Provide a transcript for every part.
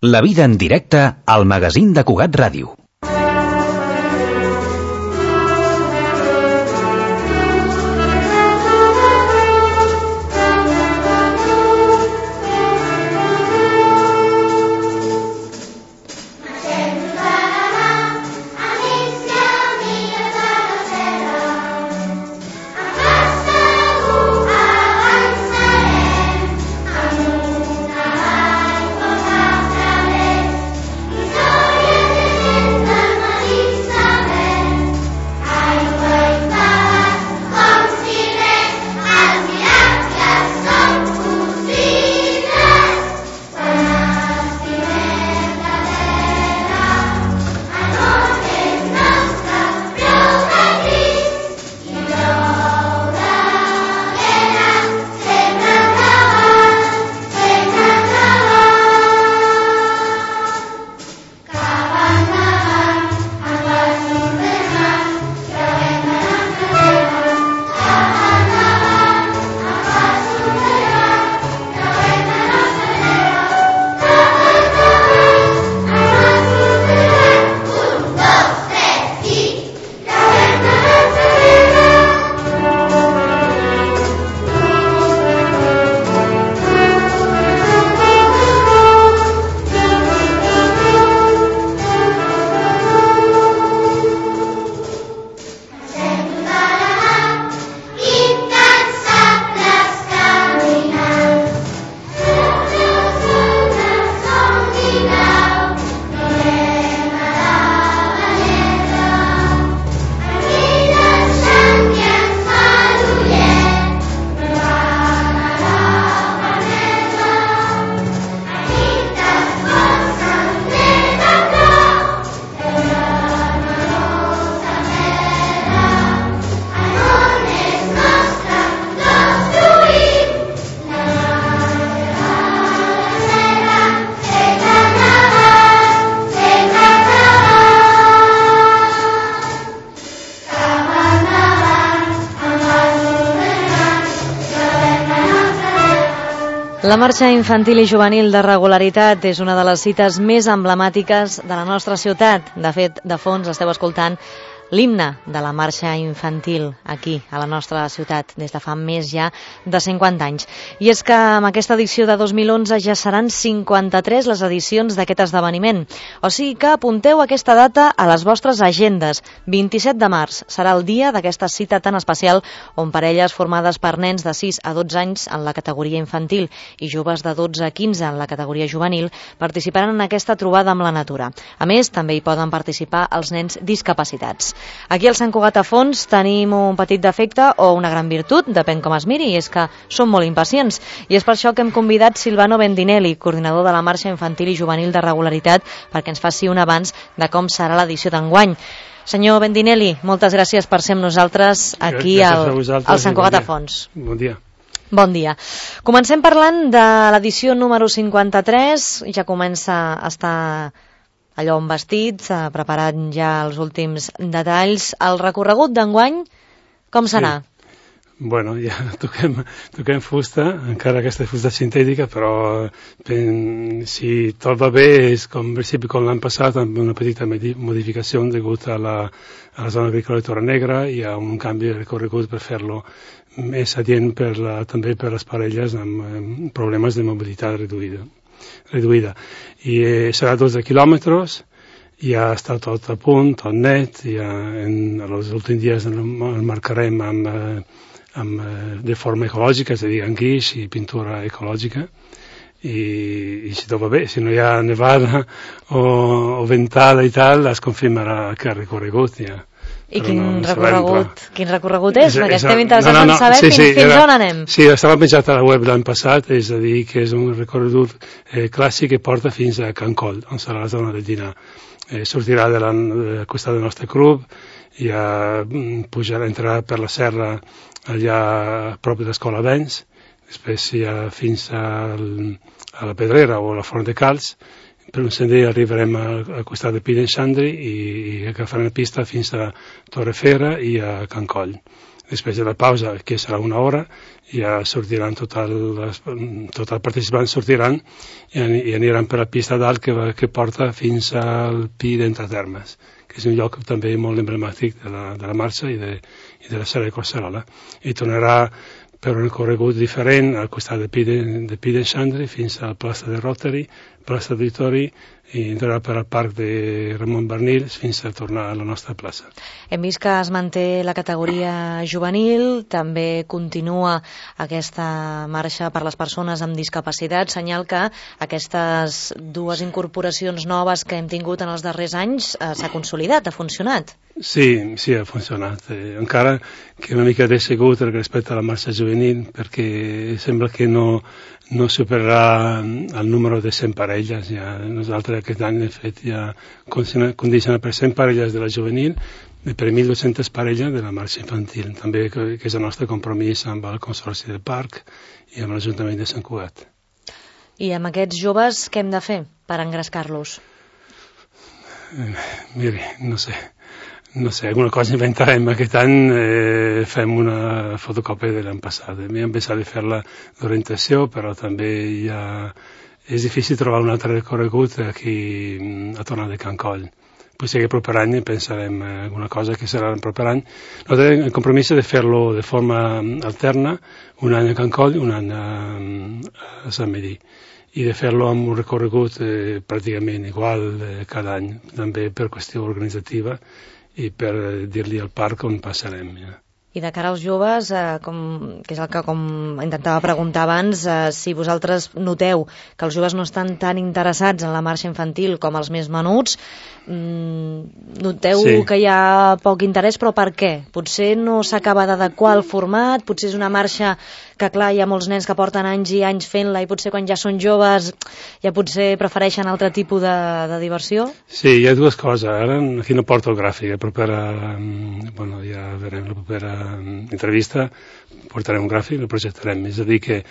La vida en directe al magazín de Cugat Ràdio. La marxa infantil i juvenil de regularitat és una de les cites més emblemàtiques de la nostra ciutat. De fet, de fons esteu escoltant l'himne de la marxa infantil aquí, a la nostra ciutat, des de fa més ja de 50 anys. I és que amb aquesta edició de 2011 ja seran 53 les edicions d'aquest esdeveniment. O sigui que apunteu aquesta data a les vostres agendes. 27 de març serà el dia d'aquesta cita tan especial on parelles formades per nens de 6 a 12 anys en la categoria infantil i joves de 12 a 15 en la categoria juvenil participaran en aquesta trobada amb la natura. A més, també hi poden participar els nens discapacitats. Aquí al Sant Cugat a Fons tenim un petit defecte o una gran virtut, depèn com es miri, i és que som molt impacients. I és per això que hem convidat Silvano Bendinelli, coordinador de la marxa infantil i juvenil de regularitat, perquè ens faci un avanç de com serà l'edició d'enguany. Senyor Bendinelli, moltes gràcies per ser amb nosaltres aquí al Sant Cugat a Fons. Bon dia. Bon dia. Comencem parlant de l'edició número 53, ja comença a estar allò on vestit, preparat ja els últims detalls. El recorregut d'enguany, com serà? Sí. Bueno, ja toquem fusta, encara aquesta fusta sintètica, però si tot va bé és com com l'any passat, amb una petita modificació degut a la zona agrícola de Torre Negra. Hi ha un canvi de recorregut per fer-lo més adient també per les parelles amb problemes de mobilitat reduïda. I serà 12 quilòmetres, ja està tot a punt, tot net, ja en els últims dies el marcarem de forma ecològica, és a dir, amb guix i pintura ecològica, i si tot va bé, si no hi ha nevada o ventada i tal, es confirmarà que ha recorregut ja. I quin recorregut és? Perquè estem interessats en saber fins on anem. Sí, estava penjat a la web l'any passat, és a dir, que és un recorregut clàssic que porta fins a Can Coll, on serà la zona de dinar. Sortirà del costat del nostre club, ja entrarà per la serra allà a prop de l'Escola Vents, després ja fins a la Pedrera o a la Font de Calç. Per un sender arribarem al costat de Pi d'en Xandri i agafarem la pista fins a Torrefera i a Can Coll. Després de la pausa, que serà una hora, ja sortiran tots els participants sortiran i aniran per la pista dalt que porta fins al Pi d'Entre Termes, que és un lloc també molt emblemàtic de la marxa i de la Serra de Collserola. I tornarà per un recorregut diferent al costat de Pi d'en Xandri fins a la plaça de Rotary, plaça d'Auditori, i entrarà per al parc de Ramon Barnils fins a tornar a la nostra plaça. Hem vist que es manté la categoria juvenil, també continua aquesta marxa per les persones amb discapacitat, senyal que aquestes dues incorporacions noves que hem tingut en els darrers anys s'ha consolidat, ha funcionat. Sí, ha funcionat. Encara que una mica decegut respecte a la marxa juvenil, perquè sembla que no superarà el número de 100 parelles. Ja, nosaltres aquest any, de fet, ja condicionat per 100 parelles de la juvenil i per 1.200 parelles de la marxa infantil. També que és el nostre compromís amb el Consorci del Parc i amb l'Ajuntament de Sant Cugat. I amb aquests joves què hem de fer per engrescar-los? Miri, no sé, alguna cosa inventarem. Aquest any fem una fotocòpia de l'any passat. Hem pensat de fer-la d'orientació, però també és difícil trobar un altre recorregut aquí a tornar de Can Coll. Potser que el proper any pensarem alguna cosa que serà el proper any. Nosaltres el compromís és de fer-lo de forma alterna, un any a Can Coll i un any a Sant Medir, i de fer-lo amb un recorregut pràcticament igual cada any, també per qüestió organitzativa i per dir-li al parc on passarem. Ja. I de cara als joves, que és el que com intentava preguntar abans, si vosaltres noteu que els joves no estan tan interessats en la marxa infantil com els més menuts, noteu que hi ha poc interès, però per què? Potser no s'acaba d'adequar el format, potser és una marxa que, clar, hi ha molts nens que porten anys i anys fent-la i potser quan ja són joves ja potser prefereixen altre tipus de diversió? Sí, hi ha dues coses. Ara aquí no porto el gràfic, ja veurem la propera entrevista, portarem un gràfic, el projectarem. És a dir que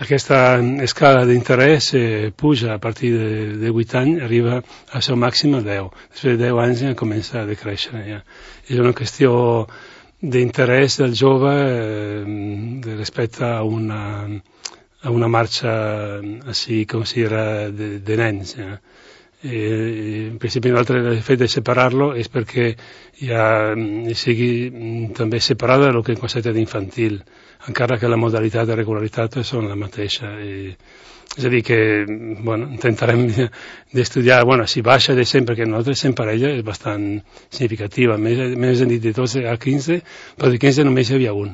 aquesta escala d'interès puja a partir de 8 anys, arriba al seu màxim a 10. Després de 10 anys ja comença a decréixer. Ja. És una qüestió d'interès del jove respecte a una marxa així com si era de nens. Ja. En principi el fet de separar-lo és perquè ja sigui també separada del que és el concepte d'infantil, encara que la modalitat de regularitat són la mateixa. És a dir que intentarem d'estudiar, si baixa de 100, perquè nosaltres 100 parelles és bastant significativa, més hem dit de 12 a 15, però de 15 només hi havia un,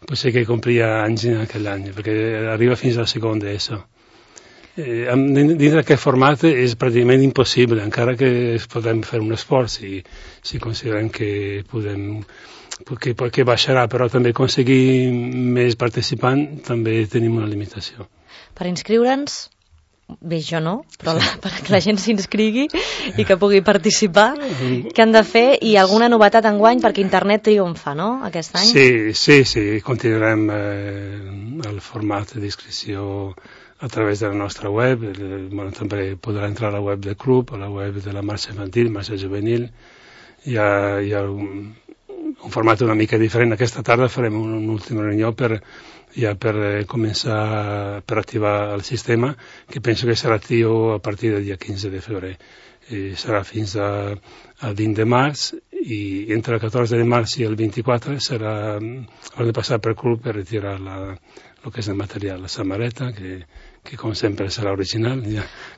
potser que complia anys en aquell any, perquè arriba fins al segon d'ESO. Dins d'aquest format és pràcticament impossible, encara que podem fer un esforç si considerem que que baixarà, però també aconseguir més participants també tenim una limitació. Per inscriure'ns, bé, jo no, però perquè la gent s'inscrigui i que pugui participar, què han de fer? I alguna novetat enguany, perquè internet triomfa, no?, aquest any? Sí, continuarem el format d'inscripció a través de la nostra web. També podrà entrar a la web del club, a la web de la marxa infantil, marxa juvenil. Hi ha un format una mica diferent. Aquesta tarda farem una última reunió per començar per activar el sistema, que penso que serà actiu a partir del dia 15 de febrer. Serà fins al 20 de març, i entre el 14 de març i el 24 haurem de passar per club per retirar el que és el material, la samarreta, que com sempre serà original,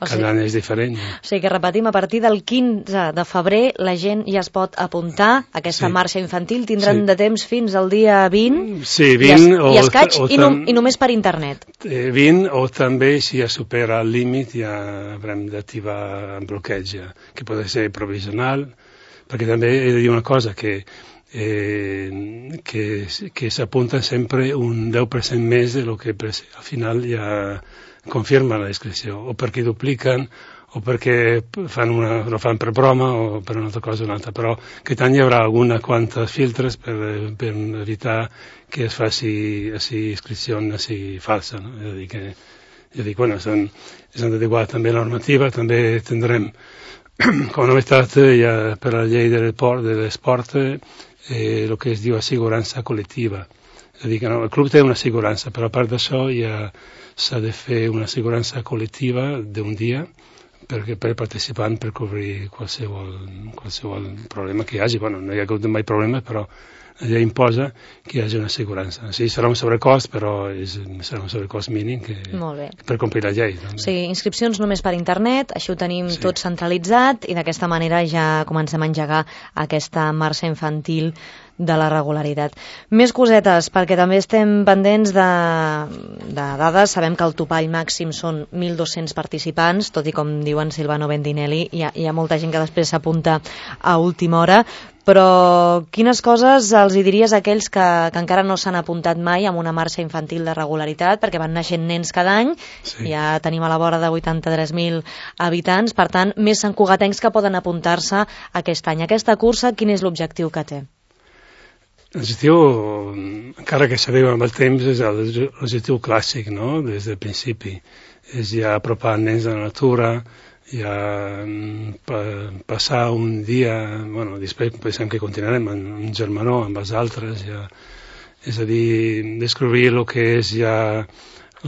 cada any és diferent. O sigui que repetim, a partir del 15 de febrer la gent ja es pot apuntar a aquesta marxa infantil, tindran de temps fins al dia 20, i escaig, i només per internet. 20, o també si ja supera el límit ja haurem d'activar el bloqueig, que pot ser provisional, perquè també he de dir una cosa, que s'apunta sempre un 10% més de lo que al final ja confirma la inscripció, o perquè dupliquen, o perquè no fan per broma, o per una altra cosa o una altra, però aquest any hi haurà alguna quantes filtres per evitar que es faci inscripció falsa, no? És a dir que s'han d'adequar també la normativa. També tindrem com a novetat per la llei de l'esport el que es diu assegurança col·lectiva. És a dir, que no, el club té una assegurança, però a part d'això ja s'ha de fer una assegurança col·lectiva d'un dia per participant per cobrir qualsevol problema que hi hagi. Bueno, no hi ha hagut mai problemes, però la llei imposa que hi hagi una assegurança. Sí, serà un sobrecost, però serà un sobrecost mínim per complir la llei. També. Sí, inscripcions només per internet, això ho tenim tot centralitzat i d'aquesta manera ja comencem a engegar aquesta marxa infantil de la regularitat. Més cosetes, perquè també estem pendents de dades. Sabem que el topall màxim són 1.200 participants, tot i com diuen Silvano Bendinelli, hi ha molta gent que després s'apunta a última hora, però quines coses els hi diries a aquells que encara no s'han apuntat mai a una marxa infantil de regularitat, perquè van naixent nens cada any, ja tenim a la vora de 83.000 habitants, per tant, més santcugatencs que poden apuntar-se aquest any. Aquesta cursa, quin és l'objectiu que té? L'objectiu, encara que s'arriba amb el temps, és l'objectiu clàssic, no?, des del principi. És ja apropar nens a la natura, ja passar un dia, bueno, després pensem que continuarem en germanor amb els altres, ja, és a dir, descobrir el que és ja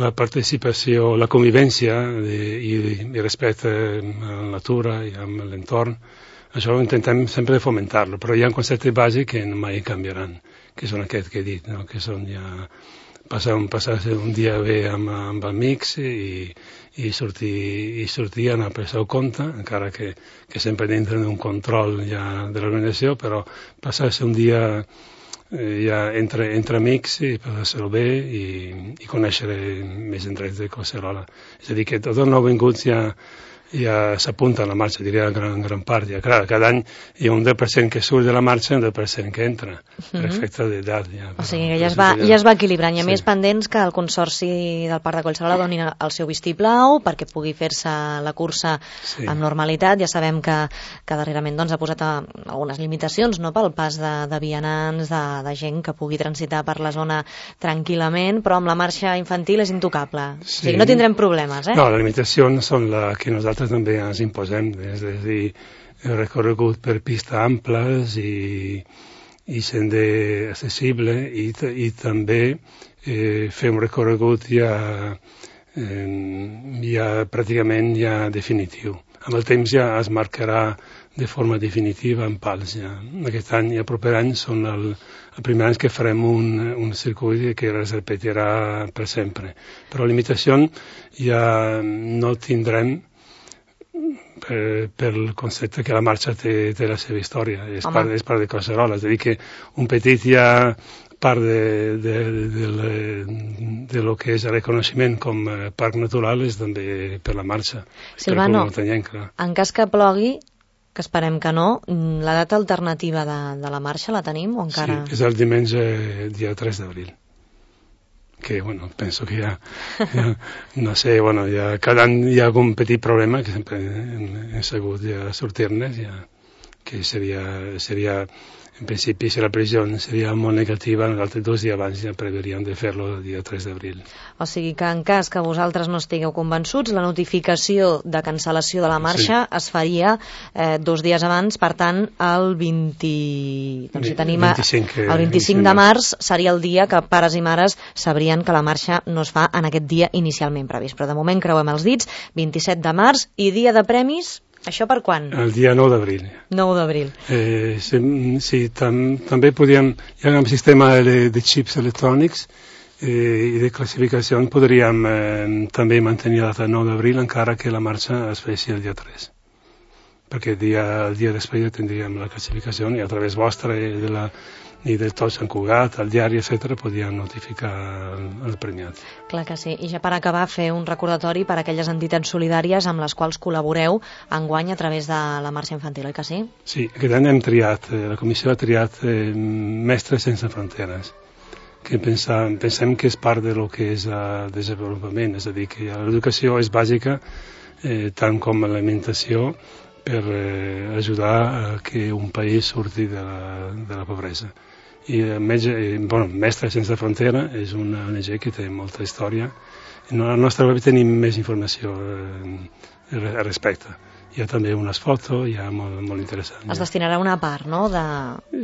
la participació, la convivència i respecte a la natura i amb l'entorn. Això intentem sempre fomentar-lo, però hi ha conceptes bàsics que mai canviaran, que són aquests que he dit, no? Que són ja passar un dia bé amb amics i sortir a anar per seu compte, encara que sempre dintre d'un control ja de l'organització, però passar-se un dia ja entre amics i passar-lo bé i conèixer més indrets de Collserola. És a dir, que tots els nouvinguts ja s'apunta a la marxa, diria en gran part. Ja, clar, cada any hi ha un 10% que surt de la marxa i un 10% que entra, per efecte d'edat. Ja, o sigui que ja es va equilibrant. Hi ha més pendents que el Consorci del Parc de Collserola doni el seu vistiplau perquè pugui fer-se la cursa amb normalitat. Ja sabem que darrerament ha posat algunes limitacions, no?, pel pas de vianants, de gent que pugui transitar per la zona tranquil·lament, però amb la marxa infantil és intocable. O sigui, no tindrem problemes, No, les limitacions són les que nosaltres també ens imposem, és a dir, el recorregut per pistes amples i sender accessible i també fer un recorregut ja pràcticament ja definitiu. Amb el temps ja es marcarà de forma definitiva en pals. Ja. Aquest any i el proper any són el primer any que farem un circuit que es repetirà per sempre. Però la limitació ja no tindrem per el concepte que la marxa té la seva història, és part de Collserola, és a dir que un petit ja part de lo que és el reconeixement com a parc natural és també per la marxa. Silvano, en cas que plogui, que esperem que no, la data alternativa de la marxa la tenim o encara? Sí, és el diumenge dia 3 d'abril. Que, bueno, penso que ja no sé, bueno, ja cada any hi ha algun petit problema que sempre hem sabut ja sortir-ne, ja, que seria, en principi, si la previsió seria molt negativa, nosaltres 2 dies abans ja preveuríem de fer-lo el dia 3 d'abril. O sigui que en cas que vosaltres no estigueu convençuts, la notificació de cancel·lació de la marxa es faria 2 dies abans, per tant, el 25 de març seria el dia que pares i mares sabrien que la marxa no es fa en aquest dia inicialment previst. Però de moment creuem els dits, 27 de març i dia de premis. Això per quan? El dia 9 d'abril. 9 d'abril. Sí, també podríem, hi ha un sistema de xips electrònics i de classificació, podríem també mantenir la data 9 d'abril encara que la marxa es faci el dia 3. Perquè el dia després ja tindríem la classificació i a través vostra i de tots Sant Cugat, el diari, etc., podien notificar el premiat. Clar que sí. I ja per acabar, fer un recordatori per a aquelles entitats solidàries amb les quals col·laboreu enguany a través de la marxa infantil, oi que sí? Sí, aquest any hem triat, la comissió ha triat Mestres Sense Fronteres, que pensem que és part del que és el desenvolupament, és a dir, que l'educació és bàsica, tant com l'alimentació, per ajudar a que un país surti de la pobresa. I Mestres Sense Frontera és una ONG que té molta història. A la nostra web tenim més informació al respecte. hi ha també unes fotos, hi ha molt interessant. Es destinarà una part, no?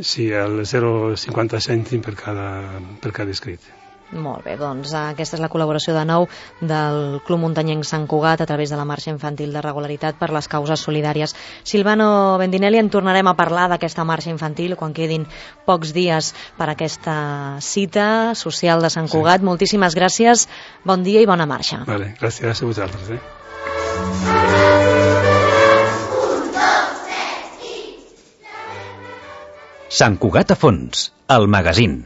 Sí, el 0,50 cèntim per cada inscrit. Molt bé, doncs aquesta és la col·laboració de nou del Club Muntanyenc Sant Cugat a través de la Marxa Infantil de Regularitat per les Causes Solidàries. Silvano Bendinelli, en tornarem a parlar d'aquesta marxa infantil quan quedin pocs dies per aquesta cita social de Sant Cugat. Sí. Moltíssimes gràcies, bon dia i bona marxa. Vale, gràcies a vosaltres. Sant Cugat a fons, el magazín.